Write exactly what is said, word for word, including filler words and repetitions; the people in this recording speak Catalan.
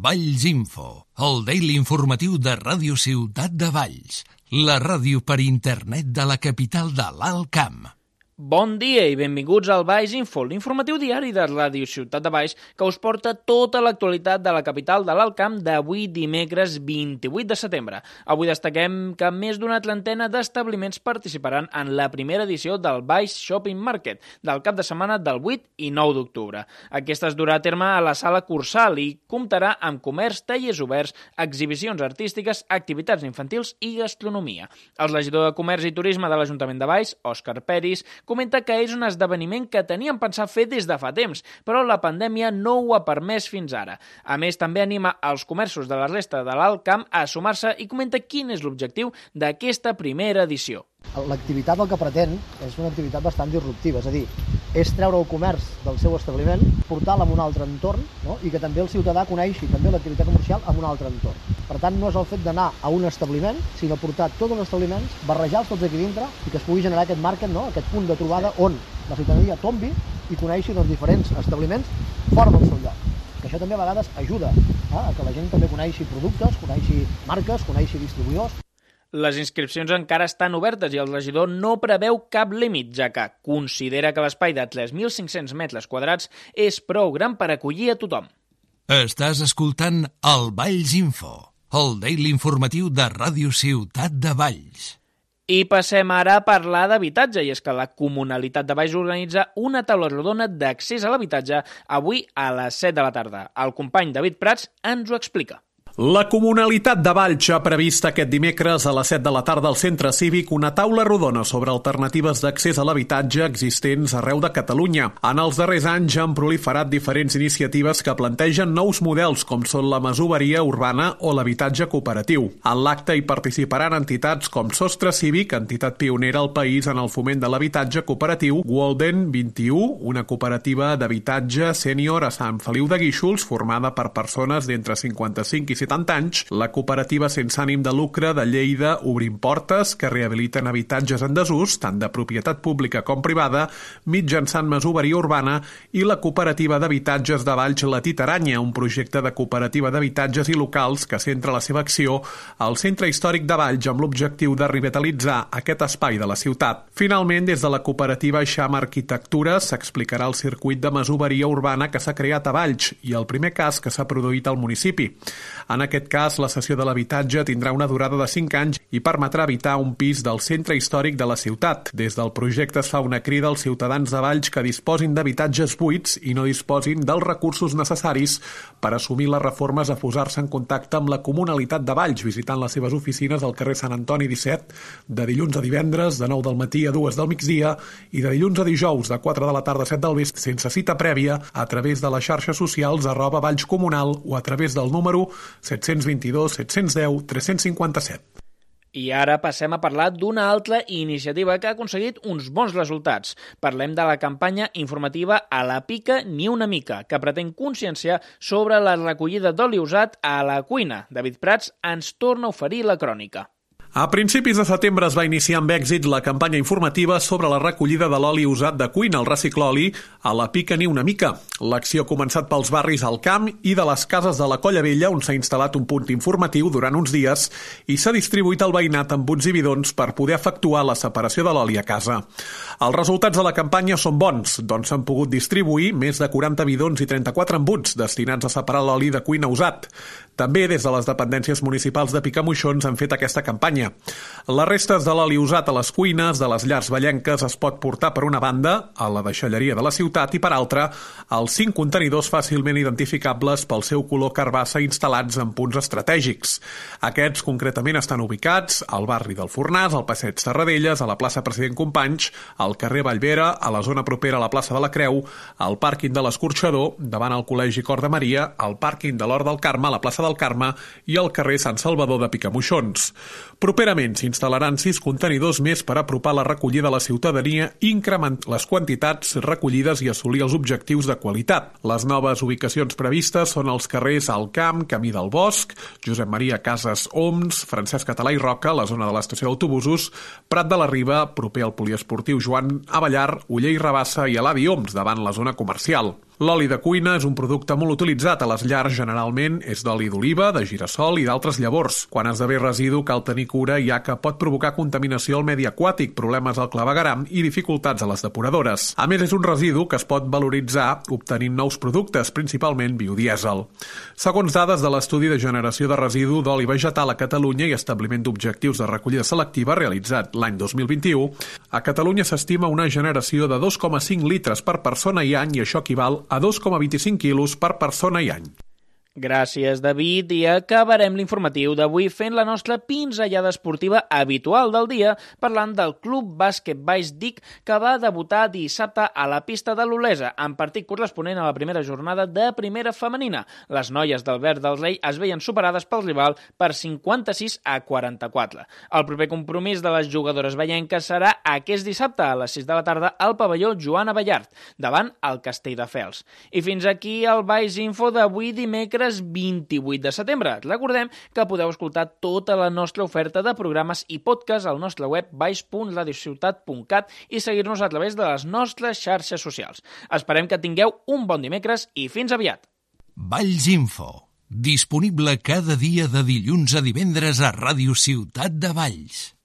Valls Info, el daily informatiu de Ràdio Ciutat de Valls, la ràdio per internet de la capital de l'Alt Camp. Bon dia i benvinguts al Valls Info, l'informatiu diari de Ràdio Ciutat de Valls que us porta tota l'actualitat de la capital de l'Alt Camp d'avui dimecres vint-i-vuit de setembre. Avui destaquem que més d'una trentena d'establiments participaran en la primera edició del Valls Shopping Market del cap de setmana del vuit i nou d'octubre. Aquesta es durà a terme a la sala Cursal i comptarà amb comerç, tallers oberts, exhibicions artístiques, activitats infantils i gastronomia. El regidor de Comerç i Turisme de l'Ajuntament de Valls, Òscar Peris, comenta que és un esdeveniment que tenien pensat fer des de fa temps, però la pandèmia no ho ha permès fins ara. A més, també anima els comerços de la resta de l'Alt Camp a sumar-se i comenta quin és l'objectiu d'aquesta primera edició. L'activitat el que pretén és una activitat bastant disruptiva, és a dir, és treure el comerç del seu establiment, portar-lo a un altre entorn, no? I que també el ciutadà coneixi també l'activitat comercial en un altre entorn. Per tant, no és el fet d'anar a un establiment, sinó portar tots els establiments, barrejar-los tots aquí dintre i que es pugui generar aquest market, no? Aquest punt de trobada on la ciutadania tombi i coneixi els diferents establiments fora del seu lloc. Que això també a vegades ajuda eh? a que la gent també coneixi productes, coneixi marques, coneixi distribuïdors. Les inscripcions encara estan obertes i el regidor no preveu cap límit, ja que considera que l'espai de tres mil cinc-cents metres quadrats és prou gran per acollir a tothom. Estàs escoltant el Valls Info, el daily informatiu de Ràdio Ciutat de Valls. I passem ara a parlar d'habitatge, i és que la Comunalitat de Valls organitza una taula rodona d'accés a l'habitatge avui a les set de la tarda. El company David Prats ens ho explica. La Comunalitat de Valls ha previst aquest dimecres a les set de la tarda al Centre Cívic una taula rodona sobre alternatives d'accés a l'habitatge existents arreu de Catalunya. En els darrers anys han proliferat diferents iniciatives que plantegen nous models com són la masoveria urbana o l'habitatge cooperatiu. En l'acte hi participaran entitats com Sostre Cívic, entitat pionera al país en el foment de l'habitatge cooperatiu, Walden vint-i-u, una cooperativa d'habitatge sènior a Sant Feliu de Guíxols formada per persones d'entre cinquanta-cinc i setanta anys, la cooperativa sense ànim de lucre de Lleida Obrim Portes, que rehabiliten habitatges en desús, tant de propietat pública com privada, mitjançant masoveria urbana, i la cooperativa d'habitatges de Valls La Titaranya, un projecte de cooperativa d'habitatges i locals que centra la seva acció al centre històric de Valls amb l'objectiu de revitalitzar aquest espai de la ciutat. Finalment, des de la cooperativa Eixam Arquitectura s'explicarà el circuit de masoveria urbana que s'ha creat a Valls i el primer cas que s'ha produït al municipi. En aquest cas, la cessió de l'habitatge tindrà una durada de cinc anys i permetrà habitar un pis del centre històric de la ciutat. Des del projecte es fa una crida als ciutadans de Valls que disposin d'habitatges buits i no disposin dels recursos necessaris per assumir les reformes a posar-se en contacte amb la Comunalitat de Valls, visitant les seves oficines al carrer Sant Antoni disset, de dilluns a divendres, de nou del matí a dues del migdia i de dilluns a dijous, de quatre de la tarda a set del vespre, sense cita prèvia, a través de les xarxes socials arroba Valls Comunal o a través del número set cents vint-i-dos, set-cents deu, tres-cents cinquanta-set. I ara passem a parlar d'una altra iniciativa que ha aconseguit uns bons resultats. Parlem de la campanya informativa A la pica ni una mica, que pretén conscienciar sobre la recollida d'oli usat a la cuina. David Prats ens torna a oferir la crònica. A principis de setembre es va iniciar amb èxit la campanya informativa sobre la recollida de l'oli usat de cuina, el recicloli, a la pica ni una mica. L'acció ha començat pels barris al Camp i de les cases de la Colla Vella, on s'ha instal·lat un punt informatiu durant uns dies i s'ha distribuït al veïnat amb buts i bidons per poder efectuar la separació de l'oli a casa. Els resultats de la campanya són bons, doncs s'han pogut distribuir més de quaranta bidons i trenta-quatre embuts destinats a separar l'oli de cuina usat. També des de les dependències municipals de Picamoixons han fet aquesta campanya. Les restes de l'oli usat a les cuines de les llars vallenques es pot portar per una banda a la deixalleria de la ciutat i per altra als cinc contenidors fàcilment identificables pel seu color carbassa instal·lats en punts estratègics. Aquests concretament estan ubicats al barri del Fornàs, al passeig Serradelles, a la plaça President Companys, al carrer Vallvera, a la zona propera a la plaça de la Creu, al pàrquing de l'Escorxador, davant el Col·legi Cor de Maria, al pàrquing de l'Hort del Carme, a la plaça del Carme i al carrer Sant Salvador de Picamoixons. Properament s'instal·laran sis contenidors més per apropar la recollida a la ciutadania i incrementar les quantitats recollides i assolir els objectius de qualitat. Les noves ubicacions previstes són els carrers Al Camp, Camí del Bosc, Josep Maria Casas Oms, Francesc Català i Roca, la zona de l'estació d'autobusos, Prat de la Riba, proper al poliesportiu Joan Avellar, Oller i Rabassa i Eladi Oms, davant la zona comercial. L'oli de cuina és un producte molt utilitzat a les llars, generalment és d'oli d'oliva, de girassol i d'altres llavors. Quan esdevé residu cal tenir cura, ja que pot provocar contaminació al medi aquàtic, problemes al clavegueram i dificultats a les depuradores. A més, és un residu que es pot valoritzar obtenint nous productes, principalment biodièsel. Segons dades de l'estudi de generació de residu d'oli vegetal a Catalunya i establiment d'objectius de recollida selectiva realitzat l'any dos mil vint-i-u, a Catalunya s'estima una generació de dos coma cinc litres per persona i any i això equival a dos coma vint-i-cinc quilos per persona i any. Gràcies, David, i acabarem l'informatiu d'avui fent la nostra pinzellada esportiva habitual del dia, parlant del Club Bàsquet Baix Dic, que va debutar dissabte a la pista de l'Olesa, en partit corresponent a la primera jornada de primera femenina. Les noies del Verd del Rei es veien superades pel rival per cinquanta-sis a quaranta-quatre. El proper compromís de les jugadores veienques serà aquest dissabte a les sis de la tarda al pavelló Joana Ballart, davant el Castelldefels. I fins aquí el Baix Info d'avui dimecres vint-i-vuit de setembre. Recordem que podeu escoltar tota la nostra oferta de programes i podcast al nostre web baix punt radiociutat punt cat i seguir-nos a través de les nostres xarxes socials. Esperem que tingueu un bon dimecres i fins aviat. Valls Info, disponible cada dia de dilluns a divendres a Ràdio Ciutat de Valls.